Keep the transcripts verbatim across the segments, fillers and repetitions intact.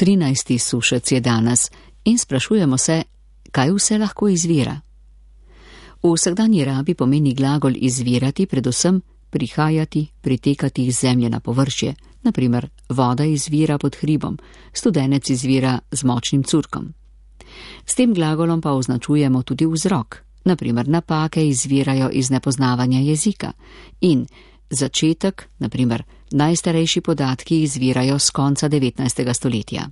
trinajsti sušec je danes in sprašujemo se, kaj vse lahko izvira. V vsakdanji rabi pomeni glagol izvirati predvsem prihajati, pritekati iz zemlje na površje, naprimer voda izvira pod hribom, studenec izvira z močnim curkom. S tem glagolom pa označujemo tudi vzrok, naprimer napake izvirajo iz nepoznavanja jezika in začetek, naprimer najstarejši podatki izvirajo z konca devetnajstega stoletja.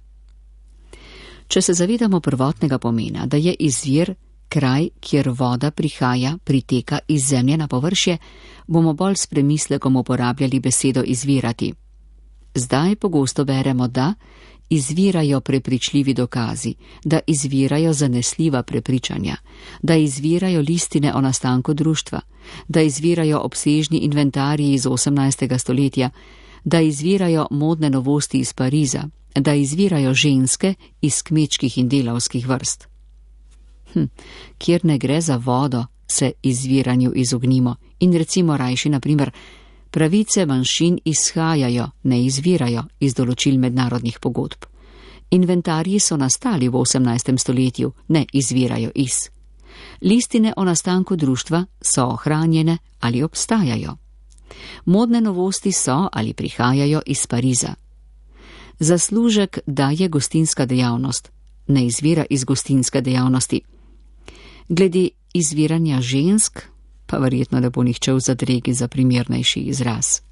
Če se zavedamo prvotnega pomena, da je izvir kraj, kjer voda prihaja, priteka iz zemlje na površje, bomo bolj s premislekom uporabljali besedo izvirati. Zdaj pogosto beremo, da izvirajo prepričljivi dokazi, da izvirajo zanesljiva prepričanja, da izvirajo listine o nastanku društva, da izvirajo obsežni inventarji iz osemnajstega stoletja, da izvirajo modne novosti iz Pariza, da izvirajo ženske iz kmečkih in delavskih vrst. Hm, kjer ne gre za vodo, se izviranju izognimo in recimo rajši, naprimer, pravice manjšin izhajajo, ne izvirajo iz določil mednarodnih pogodb. Inventarji so nastali v osemnajstem stoletju, ne izvirajo iz. Listine o nastanku društva so ohranjene ali obstajajo. Modne novosti so ali prihajajo iz Pariza. Zaslužek daje gostinska dejavnost, ne izvira iz gostinske dejavnosti. Glede izviranja žensk, pa verjetno ne bo nihče v zadregi za primernejši izraz.